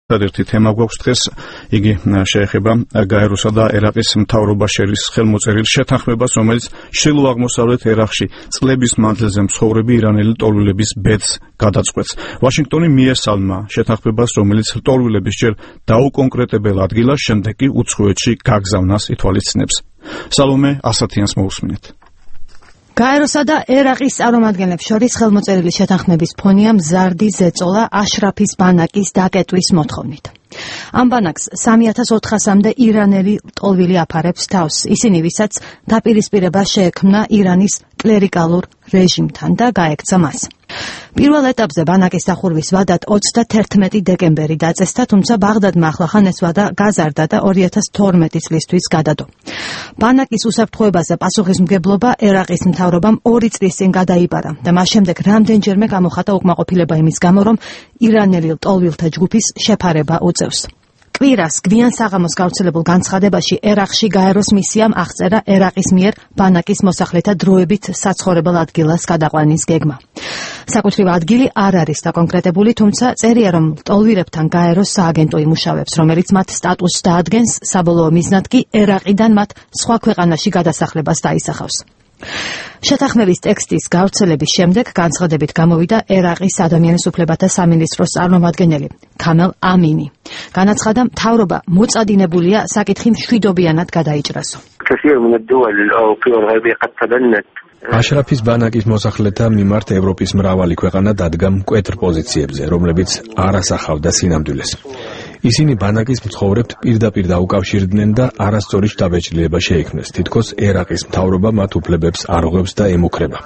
Ერთი თემა გვაქვს დღეს, იგი შეეხება გაეროსა და ერაყის მთავრობა შერის ხელმოწერილ შეთანხმებას, რომელიც ჩრდილო-აღმოსავლეთ ერაყში წლების მანძილზე მცხოვრები ირანელი ლტოლვილების ბედს გადაწყვეტს. ვაშინგტონი მიესალმა შეთანხმებას, რომელიც ლტოლვილების ჯერ დაუკონკრეტებელ ადგილას, შემდეგ კი უცხოეთში გაგზავნას ითვალისწინებს. სალომე ასათიანს მოусმინეთ. გაეროსა და ერაყის წარმომადგენლებს შორის ხელმოწერილი შეთანხმების ფონია მზარდი ზეწოლა აშრაფის ბანაკის დაკეტვის მოთხოვნით. ამ ბანაკს 3400-მდე ირანელი ლტოლვილი აფარებს თავს, ისინი ვისაც დაპირისპირება შეექმნა ირანის კლერიკალურ რეჟიმთან და გაექცა მას. პირველ ეტაპზე ბანაკის დახურვის ვადად 31 დეკემბერი დაწესდა, თუმცა ბაღდადმა ახლახან ეს ვადა გაზარდა და 2012 წლისთვის გადადო. ბანაკის უსაფრთხოებაზე პასუხისმგებლობა ერაყის მთავრობამ 2 წლის წინ გადაიბარა და მას შემდეგ რამდენჯერმე გამოხატა უკმაყოფილება იმის გამო, რომ ირანელი ლტოლვილთა ჯგუფის შეფარება უწევს. კვირას გვიან საღამოს გავრცელებულ განცხადებაში ერაყში გაეროს მისიამ აღწერა ერაყის მიერ ბანაკის მოსახლეთა დროებით საცხოვრებელ ადგილას გადაყვანის გეგმა. საკუთრივ ადგილი არ არის დაკონკრეტებული, თუმცა წერია, რომ ლტოლვილებთან გაეროს სააგენტო იმუშავებს, რომელიც მათ სტატუსს დაადგენს, საბოლოო მიზნად კი ერაყიდან მათ სხვა ქვეყანაში გადასახლებას დაისახავს. შეთანხმების ტექსტის გავრცელების შემდეგ განცხადებით გამოვიდა ერაყის ადამიანის უფლებათა სამინისტროს წარმომადგენელი ქამელ ამინი. განაცხადა, მთავრობა მოწადინებულია საკითხი მშვიდობიანად გადაიჭრასო. აშრაფის ბანაკის მოსახლეთა მიმართ ევროპის მრავალი ქვეყანა დადგა მკვეთრ პოზიციებზე, რომლებიც არ ასახავდა სინამდვილეს. ისინი ბანაკის მცხოვრებთ პირდაპირ დაუკავშირდნენ და არასწორი შთაბეჭდილება შეექმნეს. თითქოს ერაყის მთავრობა მათ უფლებებს არღვევს და ემუქრება.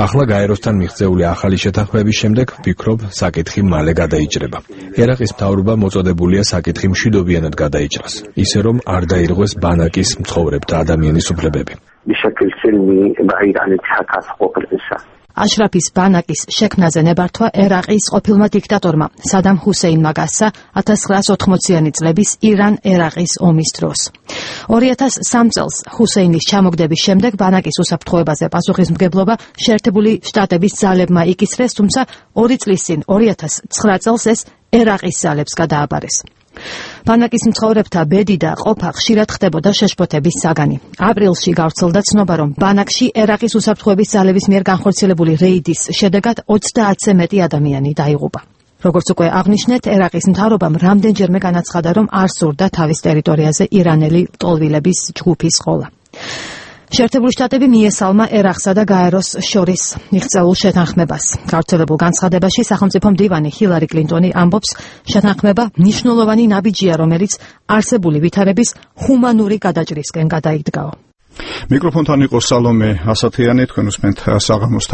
ახლა გაეროსთან მიღწეული ახალი შეთანხმების შემდეგ ვფიქრობ, საკითხი მალე გადაიჭრება. ერაყის მთავრობა მოწოდებულია საკითხი მშვიდობიანად გადაიჭრას, ისე რომ არ დაირღვეს ბანაკის მცხოვრებთა ადამიანის უფლებები. აშრაფის ბანაკის შექმნაზე ნებართვა ერაყის ყოფილმა დიქტატორმა სადამ ჰუსეინმა გასცა 1980-იანი წლების ირან-ერაყის ომის დროს. 2003 წელს ჰუსეინის ჩამოგდების შემდეგ ბანაკის უსაფრთხოებაზე პასუხისმგებლობა შეერთებული შტატების ძალებმა იკისრეს, თუმცა 2 წლის წინ 2009 წელს ეს ერაყის ძალებს გადააბარეს. ბანაკის მცხოვრებთა ბედი და ყოფა ხშირად ხდებოდა შეშფოთების საგანი. აპრილში გავრცელდა ცნობა, რომ ბანაკში ერაყის უსაფრთხოების ძალების მიერ განხორციელებული რეიდის შედეგად 30-ზე მეტი ადამიანი დაიღუპა. როგორც უკვე აღნიშნეთ, ერაყის მთავრობამ რამდენჯერმე განაცხადა, რომ არ სურდა თავის ტერიტორიაზე ირანელი ლტოლვილების ჯგუფის ყოლა. შეერთებული შტატები მიესალმა ერაყსა და გაეროს შორის მიღწეულ შეთანხმებას. გავრცელებულ განცხადებაში სახელმწიფო მდივანი ჰილარი კლინტონი ამბობს, შეთანხმება მნიშვნელოვანი ნაბიჯია, რომელიც არსებული ვითარების ჰუმანური გადაჭრისკენ გადაიდგაო. მიკროფონთან იყო სალომე ასათიანი, თქვენ უსმენთ საღამოს